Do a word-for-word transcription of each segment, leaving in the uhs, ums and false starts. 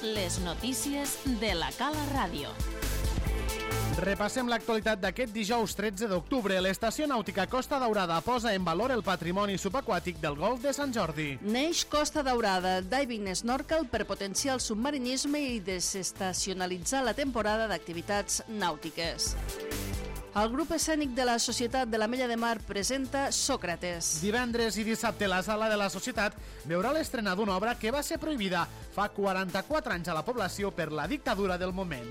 Les notícies de la Cala Ràdio. Repassem l'actualitat d'aquest dijous tretze d'octubre. L'estació nàutica Costa Daurada posa en valor el patrimoni subaquàtic del golf de Sant Jordi. Neix Costa Daurada, diving snorkel per potenciar el submarinisme i desestacionalitzar la temporada d'activitats nàutiques. El grup escènic de la Societat de l'Ametlla de Mar presenta Sòcrates. Divendres i dissabte la Sala de la Societat veurà l'estrena d'una obra que va ser prohibida fa quaranta-quatre anys a la població per la dictadura del moment.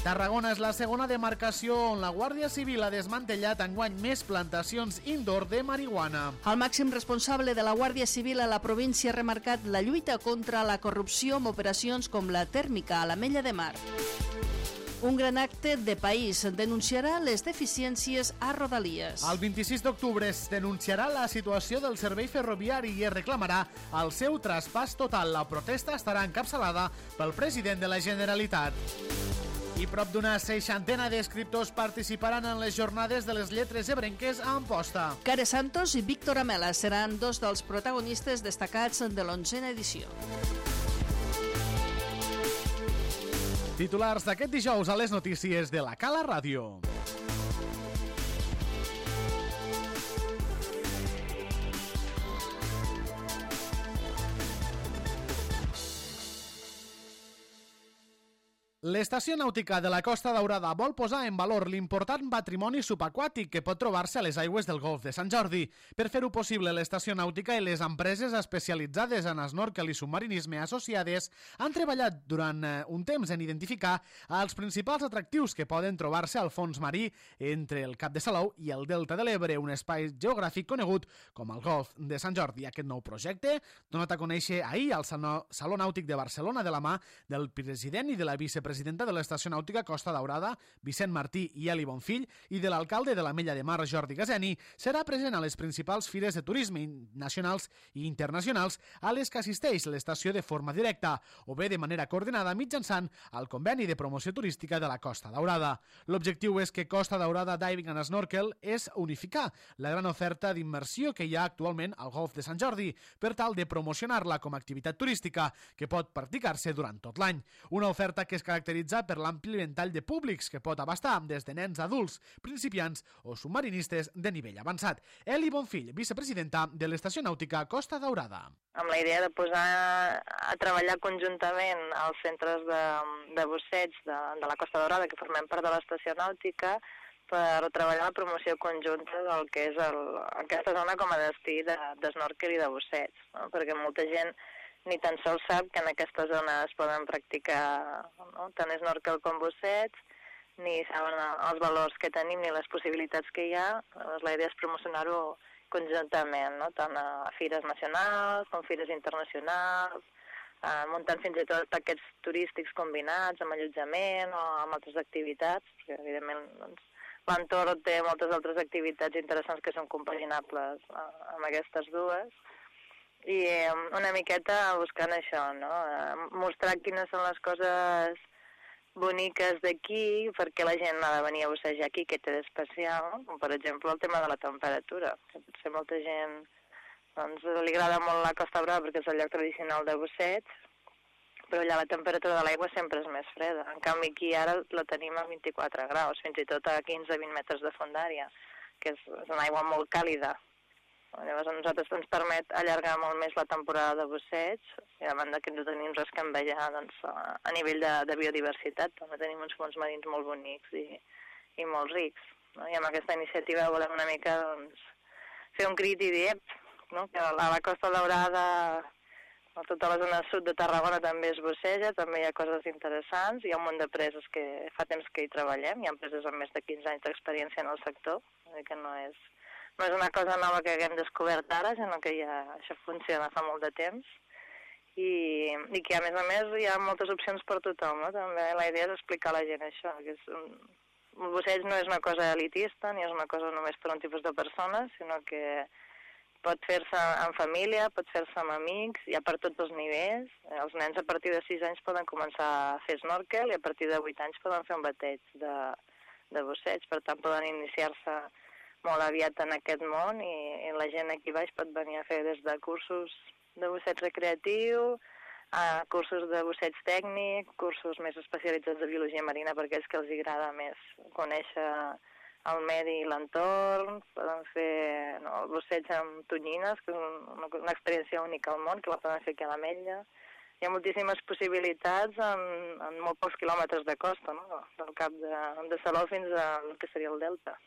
Tarragona és la segona demarcació on la Guàrdia Civil ha desmantellat enguany més plantacions indoor de marihuana. El màxim responsable de la Guàrdia Civil a la província ha remarcat la lluita contra la corrupció amb operacions com la tèrmica a l'Ametlla de Mar. Un gran acte de país denunciarà les deficiències a Rodalies. El vint-i-sis d'octubre es denunciarà la situació del servei ferroviari i es reclamarà el seu traspàs total. La protesta estarà encapçalada pel president de la Generalitat. I prop d'una seixantena d'escriptors participaran en les jornades de les lletres ebrenques a Amposta. Care Santos i Víctor Amela seran dos dels protagonistes destacats de l'onzena edició. Titulars d'aquest dijous a les notícies de la Cala Ràdio. L'estació nàutica de la Costa Daurada vol posar en valor l'important patrimoni subaquàtic que pot trobar-se a les aigües del golf de Sant Jordi. Per fer-ho possible, l'estació nàutica i les empreses especialitzades en snorkel i submarinisme associades han treballat durant un temps en identificar els principals atractius que poden trobar-se al fons marí entre el Cap de Salou i el Delta de l'Ebre, un espai geogràfic conegut com el golf de Sant Jordi. Aquest nou projecte, donat a conèixer ahir al Saló Nàutic de Barcelona de la mà del president i de la vicepresidenta presidenta de l'estació nàutica Costa Daurada, Vicent Martí i Eli Bonfill, i de l'alcalde de l'Ametlla de Mar, Jordi Gazeni, serà present a les principals fires de turisme nacionals i internacionals a les que assisteix l'estació de forma directa o bé de manera coordinada mitjançant el conveni de promoció turística de la Costa Daurada. L'objectiu és que Costa Daurada Diving and Snorkel és unificar la gran oferta d'immersió que hi ha actualment al golf de Sant Jordi per tal de promocionar-la com a activitat turística que pot practicar-se durant tot l'any. Una oferta que es caracteritza per l'ampli ventall de públics que pot abastar des de nens adults, principiants o submarinistes de nivell avançat. Eli Bonfill, vicepresidenta de l'estació nàutica Costa Daurada. Amb la idea de posar a treballar conjuntament als centres de, de busseig de, de la Costa Daurada, que formem part de l'estació nàutica, per treballar la promoció conjunta del que és el, aquesta zona com a destí de, de snorkel i de busseig, no? Perquè molta gent ni tan sols sap que en aquesta zona es poden practicar, no? Tant snorkel com busseig, ni saben els valors que tenim ni les possibilitats que hi ha. Llavors, la idea és promocionar-ho conjuntament, no? Tant a fires nacionals com fires internacionals, eh, muntant fins i tot paquets turístics combinats amb allotjament o amb altres activitats, perquè evidentment doncs, l'entorn té moltes altres activitats interessants que són compaginables eh, amb aquestes dues. I una miqueta buscant això, no? Mostrar quines són les coses boniques d'aquí, perquè la gent ha de venir a bussejar aquí, que té d'especial, com per exemple el tema de la temperatura, que potser molta gent doncs, li agrada molt la Costa Brava perquè és el lloc tradicional de busseig, però allà la temperatura de l'aigua sempre és més freda. En canvi aquí ara la tenim a vint-i-quatre graus, fins i tot a quinze a vint metres de fondària, que és, és una aigua molt càlida. Llavors a nosaltres ens permet allargar molt més la temporada de busseig i a banda que no tenim res que envellar doncs, a nivell de, de biodiversitat. També tenim uns fons marins molt bonics i, i molt rics. No? I amb aquesta iniciativa volem una mica doncs, fer un crit i dir no? que a la Costa Daurada, a tota la zona sud de Tarragona també es busseja, també hi ha coses interessants, hi ha un munt d'empreses que fa temps que hi treballem, hi ha empreses amb més de quinze anys d'experiència en el sector, que no és... No és una cosa nova que haguem descobert ara, sinó que ja això funciona fa molt de temps i, i que a més a més hi ha moltes opcions per tothom, no? També la idea és explicar a la gent això, que és un, un busseig no és una cosa elitista ni és una cosa només per un tipus de persones, sinó que pot fer-se en família, pot fer-se amb amics, hi ha per tots els nivells. Els nens a partir de sis anys poden començar a fer snorkel i a partir de vuit anys poden fer un bateig de, de busseig, per tant poden iniciar-se molt aviat en aquest món i, i la gent aquí baix pot venir a fer des de cursos de busseig recreatiu, uh, cursos de busseig tècnic, cursos més especialitzats de biologia marina per aquells que els agrada més conèixer el medi i l'entorn. Poden fer no, el busseig amb tonyines, que és una, una experiència única al món, que la poden fer aquí a l'Ametlla. Hi ha moltíssimes possibilitats en, en molt pocs quilòmetres de costa, no? Del cap de, de Salou fins al que seria el delta.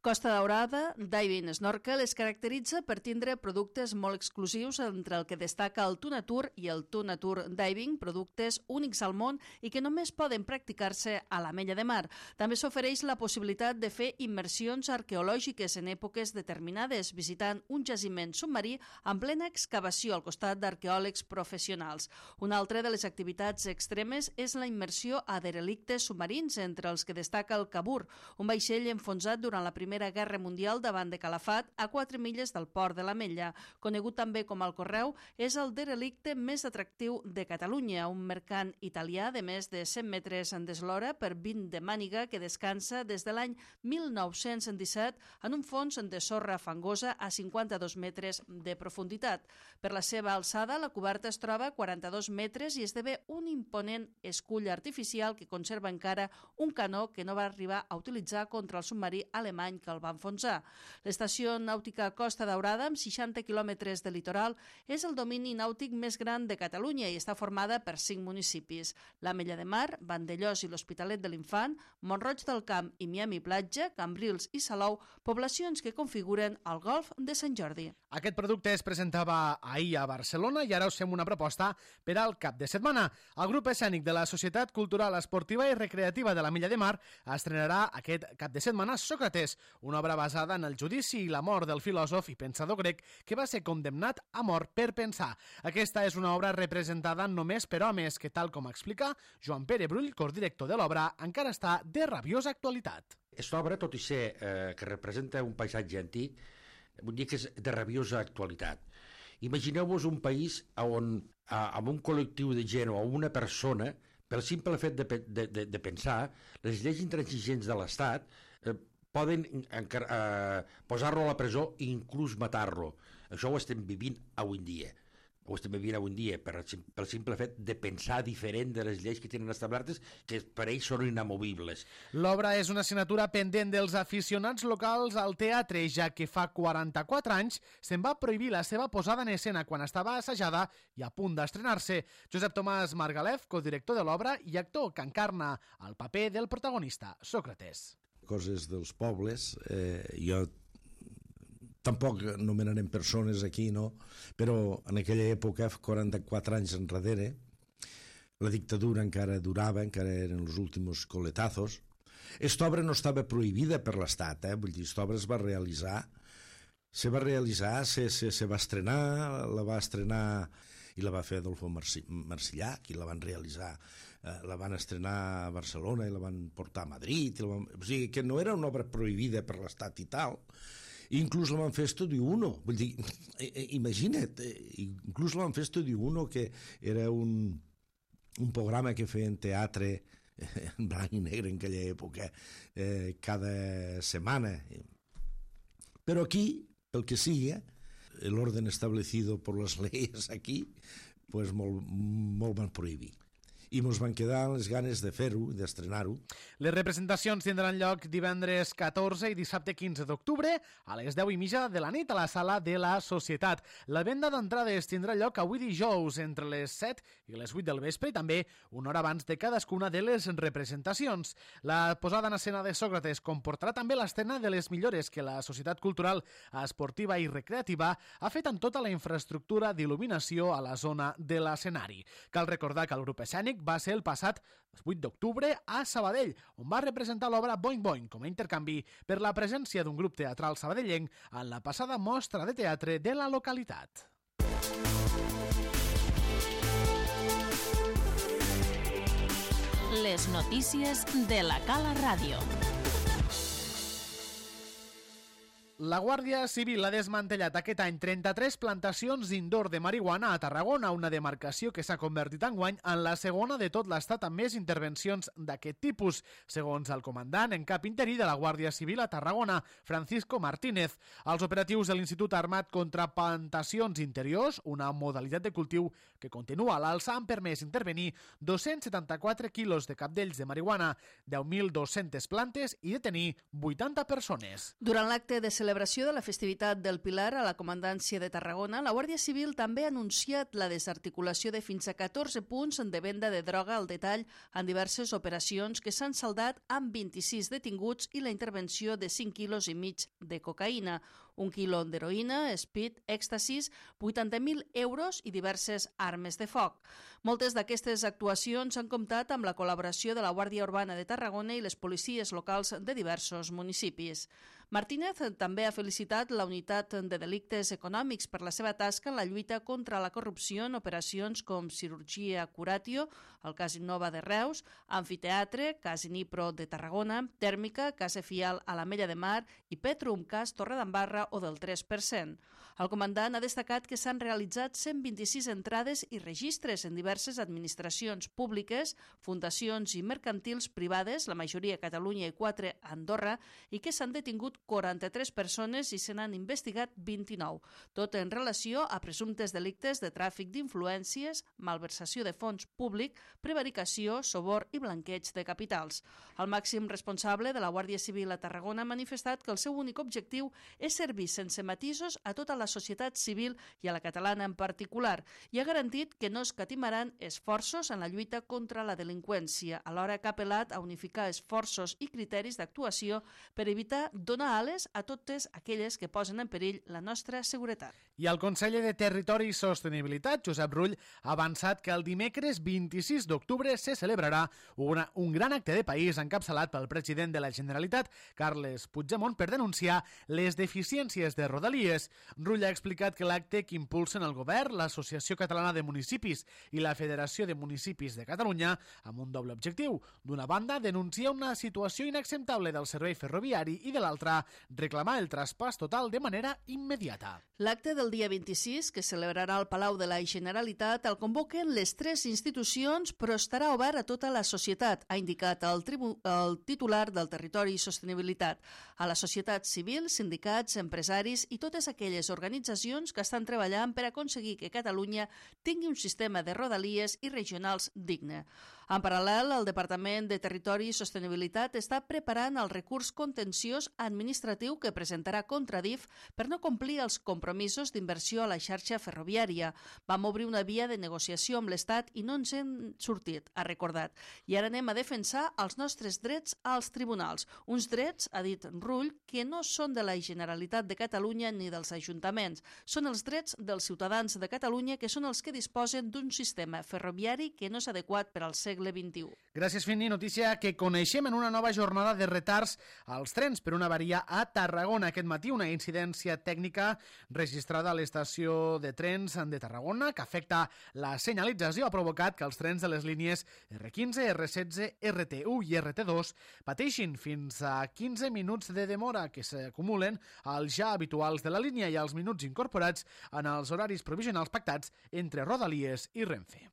Costa Daurada, Diving Snorkel, es caracteritza per tindre productes molt exclusius, entre el que destaca el Tunatur i el Tunatur Diving, productes únics al món i que només poden practicar-se a l'Ametlla de Mar. També s'ofereix la possibilitat de fer immersions arqueològiques en èpoques determinades, visitant un jaciment submarí en plena excavació al costat d'arqueòlegs professionals. Una altra de les activitats extremes és la immersió a derelictes submarins, entre els que destaca el Cabur, un vaixell enfonsat durant la Primera Primera Guerra Mundial davant de Calafat, a quatre milles del port de l'Ametlla. Conegut també com el Correu, és el derelicte més atractiu de Catalunya, un mercant italià de més de cent metres d'eslora per vint de màniga que descansa des de l'any mil nou-cents disset en un fons de sorra fangosa a cinquanta-dos metres de profunditat. Per la seva alçada, la coberta es troba a quaranta-dos metres i esdevé un imponent escull artificial que conserva encara un canó que no va arribar a utilitzar contra el submarí alemany que el va enfonsar. L'estació nàutica Costa Daurada, amb seixanta quilòmetres de litoral, és el domini nàutic més gran de Catalunya i està formada per cinc municipis: l'Ametlla de Mar, Vandellòs i l'Hospitalet de l'Infant, Mont-roig del Camp i Miami Platja, Cambrils i Salou, poblacions que configuren el Golf de Sant Jordi. Aquest producte es presentava ahir a Barcelona i ara us fem una proposta per al cap de setmana. El grup escènic de la Societat Cultural, Esportiva i Recreativa de l'Ametlla de Mar estrenarà aquest cap de setmana Sòcrates, una obra basada en el judici i la mort del filòsof i pensador grec que va ser condemnat a mort per pensar. Aquesta és una obra representada només per homes que, tal com explica Joan Pere Brull, codirector de l'obra, encara està de rabiosa actualitat. Aquesta obra, tot i ser eh, que representa un paisatge antic, vull dir que és de rabiosa actualitat. Imagineu-vos un país on, amb un col·lectiu de gent o una persona, pel simple fet de, de, de, de pensar, les lleis intransigents de l'Estat eh, poden eh, posar-lo a la presó i inclús matar-lo. Això ho estem vivint avui en dia. Ho estem vivint avui en dia per, pel simple fet de pensar diferent de les lleis que tenen establertes, que per ells són inamovibles. L'obra és una assignatura pendent dels aficionats locals al teatre, ja que fa quaranta-quatre anys se'n va prohibir la seva posada en escena quan estava assajada i a punt d'estrenar-se. Josep Tomàs Margalef, codirector de l'obra i actor que encarna el paper del protagonista, Sòcrates. Coses dels pobles, eh, jo tampoc nomenarem persones aquí, no? Però en aquella època, quaranta-quatre anys enrere, la dictadura encara durava, encara eren els últims coletazos. Esta obra no estava prohibida per l'Estat, eh? Vull dir, esta obra es va realitzar, se va realitzar, se, se, se va estrenar, la va estrenar i la va fer Adolfo Marsillà, qui la van realitzar, eh, la van estrenar a Barcelona i la van portar a Madrid, i la van... o sigui, que no era una obra prohibida per l'Estat i tal. Inclús la van fer Estudio uno, vull dir, imagina't, inclús la van fer Estudio uno, que era un, un programa que feien teatre en blanc i negre en aquella època, eh, cada setmana. Però aquí, pel que sigui, el orden establecido por las leyes aquí, pues molt, molt van prohibir. I ens van quedar les ganes de fer-ho, d'estrenar-ho. Les representacions tindran lloc divendres catorze i dissabte quinze d'octubre a les deu i mitja de la nit a la sala de la Societat. La venda d'entrades tindrà lloc avui dijous entre les set i les vuit del vespre i també una hora abans de cadascuna de les representacions. La posada en escena de Sòcrates comportarà també l'estrena de les millores que la Societat Cultural, Esportiva i Recreativa ha fet en tota la infraestructura d'il·luminació a la zona de l'escenari. Cal recordar que el grup escènic va ser el passat vuit d'octubre a Sabadell, on va representar l'obra Boing Boing com a intercanvi per la presència d'un grup teatral sabadellenc en la passada mostra de teatre de la localitat. Les notícies de la Cala Ràdio. La Guàrdia Civil ha desmantellat aquest any trenta-tres plantacions indoor de marihuana a Tarragona, una demarcació que s'ha convertit enguany en la segona de tot l'estat amb més intervencions d'aquest tipus, segons el comandant en cap interí de la Guàrdia Civil a Tarragona, Francisco Martínez. Els operatius de l'Institut Armat contra Plantacions Interiors, una modalitat de cultiu que continua a l'alça, han permès intervenir dos-cents setanta-quatre quilos de capdells de marihuana, deu mil dos-centes plantes i detenir vuitanta persones. Durant l'acte de celebració de la festivitat del Pilar a la Comandància de Tarragona, la Guàrdia Civil també ha anunciat la desarticulació de fins a catorze punts de venda de droga al detall en diverses operacions que s'han saldat amb vint-i-sis detinguts i la intervenció de cinc quilos i mig de cocaïna, un quilo d'heroïna, speed, èxtasis, vuitanta mil euros i diverses armes de foc. Moltes d'aquestes actuacions han comptat amb la col·laboració de la Guàrdia Urbana de Tarragona i les policies locals de diversos municipis. Martínez també ha felicitat la Unitat de Delictes Econòmics per la seva tasca en la lluita contra la corrupció en operacions com Cirurgia Curatio, el cas Innova de Reus, Amfiteatre, cas Inipro de Tarragona, Tèrmica, cas Efial a l'Ametlla de Mar i Petrum, cas Torredembarra o del tres per cent. El comandant ha destacat que s'han realitzat cent vint-i-sis entrades i registres en diverses administracions públiques, fundacions i mercantils privades, la majoria a Catalunya i quatre a Andorra, i que s'han detingut quaranta-tres persones i se n'han investigat vint-i-nou, tot en relació a presumptes delictes de tràfic d'influències, malversació de fons públic, prevaricació, sobor i blanqueig de capitals. El màxim responsable de la Guàrdia Civil a Tarragona ha manifestat que el seu únic objectiu és servir sense matisos a tota la societat civil i a la catalana en particular, i ha garantit que no escatimaran esforços en la lluita contra la delinqüència, alhora que ha apel·lat a unificar esforços i criteris d'actuació per evitar donar ales a totes aquelles que posen en perill la nostra seguretat. I el conseller de Territori i Sostenibilitat, Josep Rull, ha avançat que el dimecres vint-i-sis d'octubre se celebrarà una, un gran acte de país encapçalat pel president de la Generalitat, Carles Puigdemont, per denunciar les deficiències de Rodalies. Rull ha explicat que l'acte que impulsen el govern, l'Associació Catalana de Municipis i la Federació de Municipis de Catalunya, amb un doble objectiu. D'una banda, denunciar una situació inacceptable del servei ferroviari i de l'altra, reclamar el traspàs total de manera immediata. L'acte del dia vint-i-sis, que celebrarà al Palau de la Generalitat, el convoquen les tres institucions, però estarà obert a tota la societat, ha indicat el, tribu el titular del Territori i Sostenibilitat, a la societat civil, sindicats, empresaris i totes aquelles organitzacions que estan treballant per aconseguir que Catalunya tingui un sistema de rodalies i regionals digne. En paral·lel, el Departament de Territori i Sostenibilitat està preparant el recurs contenciós administratiu que presentarà contra D I F per no complir els compromisos d'inversió a la xarxa ferroviària. Vam obrir una via de negociació amb l'Estat i no ens hem sortit, ha recordat. I ara anem a defensar els nostres drets als tribunals. Uns drets, ha dit Rull, que no són de la Generalitat de Catalunya ni dels ajuntaments. Són els drets dels ciutadans de Catalunya, que són els que disposen d'un sistema ferroviari que no és adequat per al segle vint-i-u. Gràcies, Fini. Notícia que coneixem en una nova jornada de retards als trens per una avaria a Tarragona. Aquest matí una incidència tècnica registrada a l'estació de trens de Tarragona que afecta la senyalització ha provocat que els trens de les línies erre quinze, erre setze, erre te u i erre te dos pateixin fins a quinze minuts de demora que s'acumulen als ja habituals de la línia i als minuts incorporats en els horaris provisionals pactats entre Rodalies i Renfe.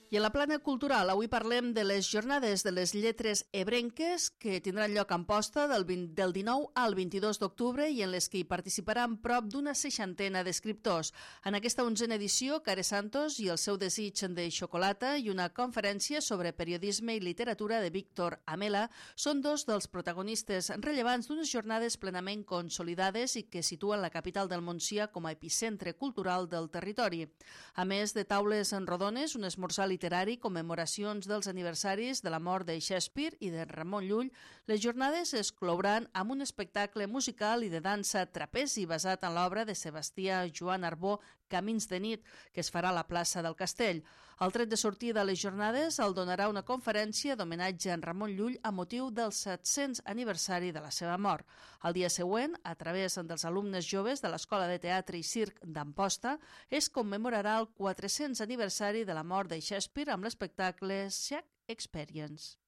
I a la plana cultural avui parlem de les jornades de les lletres ebrenques que tindran lloc a Amposta del, vint, del dinou al vint-i-dos d'octubre i en les que hi participaran prop d'una seixantena d'escriptors. En aquesta onzena edició, Care Santos i el seu desig de xocolata i una conferència sobre periodisme i literatura de Víctor Amela són dos dels protagonistes rellevants d'unes jornades plenament consolidades i que situen la capital del Montsià com a epicentre cultural del territori. A més de taules rodones, un esmorzar literari, commemoracions dels aniversaris de la mort de Shakespeare i de Ramon Llull, les jornades es clouran amb un espectacle musical i de dansa trapezi basat en l'obra de Sebastià Joan Arbó, Camins de nit, que es farà a la plaça del Castell. El tret de sortida de les jornades el donarà una conferència d'homenatge a en Ramon Llull a motiu del set-cents aniversari de la seva mort. El dia següent, a través dels alumnes joves de l'Escola de Teatre i Circ d'Amposta, es commemorarà el quatre-cents aniversari de la mort de Shakespeare amb l'espectacle Shake Experience.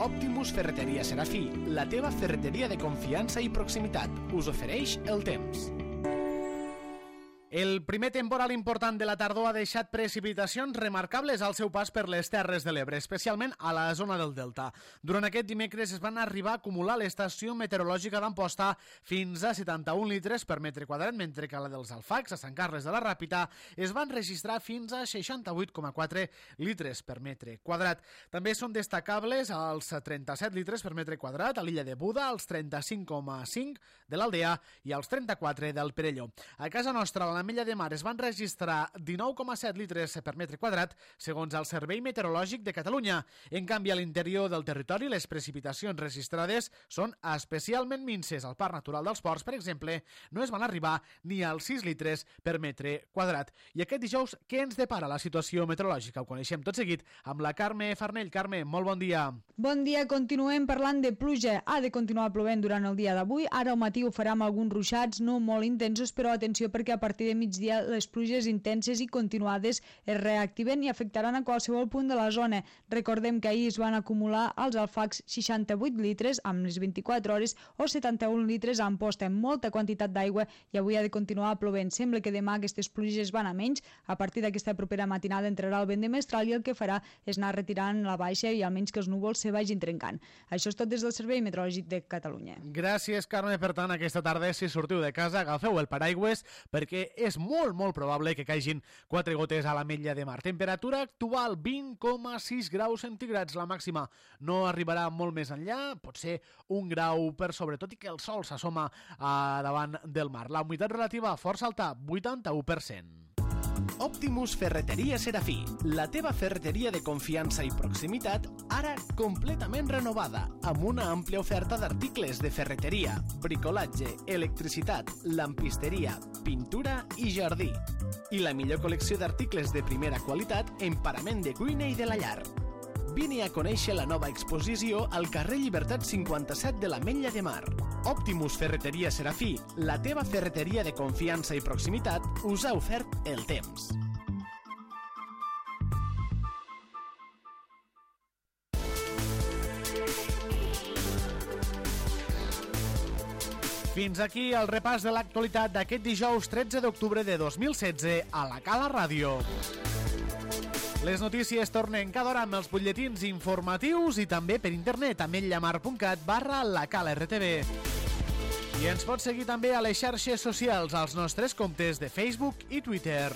Optimus Ferreteria Serafí, la teva ferreteria de confiança i proximitat, us ofereix el temps. El primer temporal important de la tardor ha deixat precipitacions remarcables al seu pas per les Terres de l'Ebre, especialment a la zona del Delta. Durant aquest dimecres es van arribar a acumular a l'estació meteorològica d'Amposta fins a setanta-un litres per metre quadrat, mentre que a la dels Alfacs, a Sant Carles de la Ràpita, es van registrar fins a seixanta-vuit coma quatre litres per metre quadrat. També són destacables els trenta-set litres per metre quadrat a l'illa de Buda, els trenta-cinc coma cinc de l'Aldea i els trenta-quatre del Perelló. A casa nostra, a l'Ametlla de Mar, es van registrar dinou coma set litres per metre quadrat, segons el Servei Meteorològic de Catalunya. En canvi, a l'interior del territori, les precipitacions registrades són especialment minces. Al Parc Natural dels Ports, per exemple, no es van arribar ni als sis litres per metre quadrat. I aquest dijous, què ens depara la situació meteorològica? Ho coneixem tot seguit amb la Carme Farnell. Carme, molt bon dia. Bon dia, continuem parlant de pluja. Ha de continuar plovent durant el dia d'avui. Ara al matí ho farà amb alguns ruixats, no molt intensos, però atenció perquè a partir de migdia les pluges intenses i continuades es reactiven i afectaran a qualsevol punt de la zona. Recordem que ahir es van acumular als Alfacs seixanta-vuit litres amb les vint-i-quatre hores o setanta-un litres a Amposta, amb molta quantitat d'aigua, i avui ha de continuar plovent. Sembla que demà aquestes pluges van a menys. A partir d'aquesta propera matinada entrarà el vent de mestral i el que farà és anar retirant la baixa i almenys que els núvols se vagin trencant. Això és tot des del Servei Meteorològic de Catalunya. Gràcies, Carme. Per tant, aquesta tarda, si sortiu de casa, agafeu el paraigües perquè és molt, molt probable que caigin quatre gotes a l'Ametlla de Mar. Temperatura actual vint coma sis graus centígrads. La màxima no arribarà molt més enllà, potser un grau per sobre, tot i que el sol s'assoma a davant del mar. La humitat relativa força alta, vuitanta-u per cent. Optimus Ferreteria Serafí, la teva ferreteria de confiança i proximitat, ara completament renovada, amb una àmplia oferta d'articles de ferreteria, bricolatge, electricitat, lampisteria, pintura i jardí. I la millor col·lecció d'articles de primera qualitat en parament de cuina i de la llar. Vine a conèixer la nova exposició al carrer Llibertat cinquanta-set de l'Ametlla de Mar. Optimus Ferreteria Serafí, la teva ferreteria de confiança i proximitat, us ha ofert el temps. Fins aquí el repàs de l'actualitat d'aquest dijous tretze d'octubre de dos mil setze a la Cala Ràdio. Les notícies tornen cada hora amb els butlletins informatius i també per internet a ametlla-mar punt cat barra la Cala R T V. I ens pots seguir també a les xarxes socials, als nostres comptes de Facebook i Twitter.